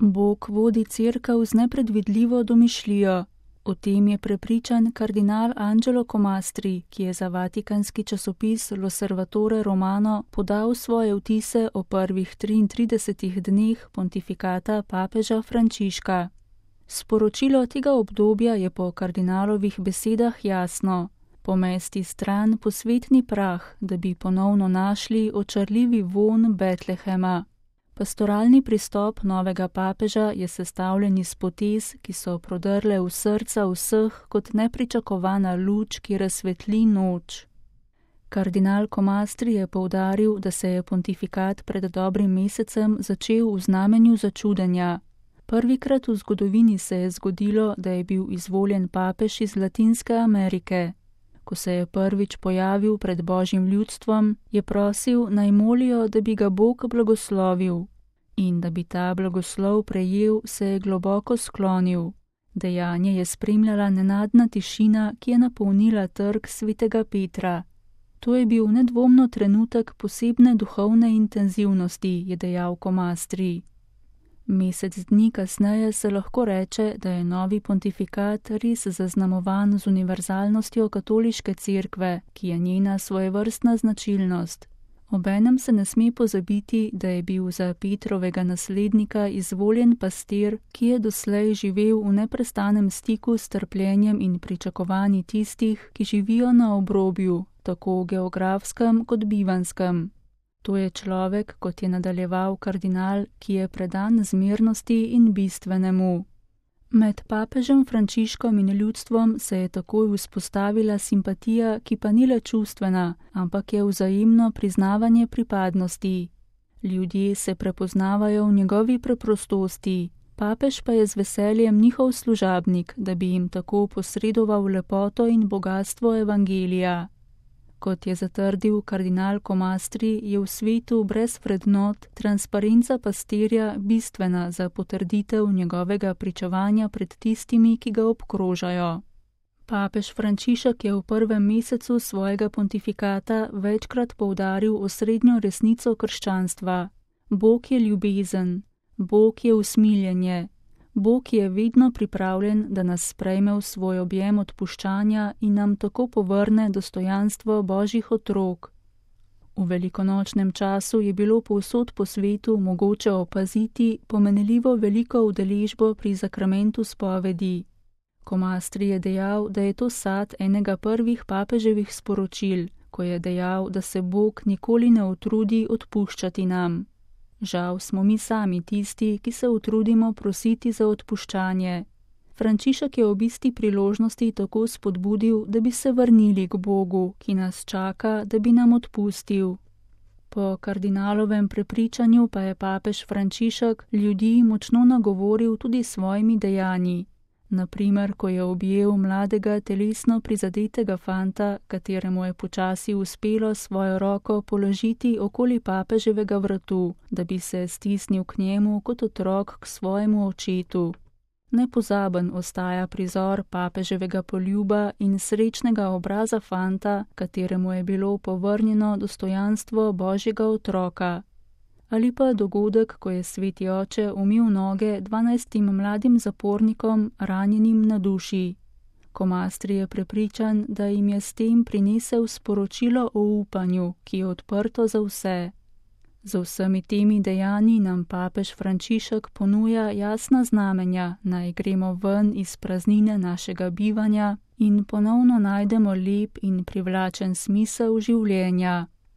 Bog vodi cerkev z nepredvidljivo domišljijo. O tem je prepričan kardinal Angelo Comastri, ki je za vatikanski časopis L'Osservatore Romano podal svoje vtise o prvih 33 dneh pontifikata papeža Frančiška. Sporočilo tega obdobja je po kardinalovih besedah jasno: pomesti stran posvetni prah, da bi ponovno našli očarljivi vonj Betlehema. Pastoralni pristop novega papeža je sestavljen iz potez, ki so prodrle v srca vseh kot nepričakovana luč, ki razsvetli noč. Kardinal Comastri je poudaril, da se je pontifikat pred dobrim mesecem začel v znamenju začudenja. Prvikrat v zgodovini se je zgodilo, da je bil izvoljen papež iz Latinske Amerike. Ko se je prvič pojavil pred Božjim ljudstvom, je prosil, naj molijo, da bi ga Bog blagoslovil. In da bi ta blagoslov prejel, se je globoko sklonil. Dejanje je spremljala nenadna tišina, ki je napolnila trg svetega Petra. To je bil nedvomno trenutek posebne duhovne intenzivnosti, je dejal Comastri. Mesec dni kasneje se lahko reče, da je novi pontifikat res zaznamovan z univerzalnostjo katoliške cerkve, ki je njena svojevrstna značilnost. Obenem se ne sme pozabiti, da je bil za Petrovega naslednika izvoljen pastir, ki je doslej živel v neprestanem stiku s trpljenjem in pričakovanji tistih, ki živijo na obrobju, tako geografskem kot bivanskem. To je človek, kot je nadaljeval kardinal, ki je predan zmernosti in bistvenemu. Med papežem Frančiškom in ljudstvom se je takoj vzpostavila simpatija, ki pa ni le čustvena, ampak je vzajemno priznavanje pripadnosti. Ljudje se prepoznavajo v njegovi preprostosti, papež pa je z veseljem njihov služabnik, da bi jim tako posredoval lepoto in bogatstvo evangelija. Kot je zatrdil kardinal Comastri, je v svetu brez vrednot transparenca pastirja bistvena za potrditev njegovega pričevanja pred tistimi, ki ga obkrožajo. Papež Frančišek je v prvem mesecu svojega pontifikata večkrat poudaril osrednjo resnico krščanstva. Bog je ljubezen, Bog je usmiljenje, Bog je vedno pripravljen, da nas sprejme v svoj objem odpuščanja in nam tako povrne dostojanstvo Božjih otrok. V velikonočnem času je bilo povsod po svetu mogoče opaziti pomenljivo veliko udeležbo pri zakramentu spovedi. Comastri je dejal, da je to sad enega prvih papeževih sporočil, ko je dejal, da se Bog nikoli ne utrudi odpuščati nam. Žal smo mi sami tisti, ki se utrudimo prositi za odpuščanje. Frančišek je ob isti priložnosti tako spodbudil, da bi se vrnili k Bogu, ki nas čaka, da bi nam odpustil. Po kardinalovem prepričanju pa je papež Frančišek ljudi močno nagovoril tudi s svojimi dejanji. Naprimer, ko je objel mladega telesno prizadetega fanta, kateremu je počasi uspelo svojo roko položiti okoli papeževega vratu, da bi se stisnil k njemu kot otrok k svojemu očetu. Nepozaben ostaja prizor papeževega poljuba in srečnega obraza fanta, kateremu je bilo povrnjeno dostojanstvo Božjega otroka. Ali pa dogodek, ko je sveti oče umil noge 12 mladim zapornikom, ranjenim na duši. Comastri je prepričan, da jim je s tem prinesel sporočilo o upanju, ki je odprto za vse. Za vsemi temi dejanji nam papež Frančišek ponuja jasna znamenja, naj gremo ven iz praznine našega bivanja in ponovno najdemo lep in privlačen smisel življenja.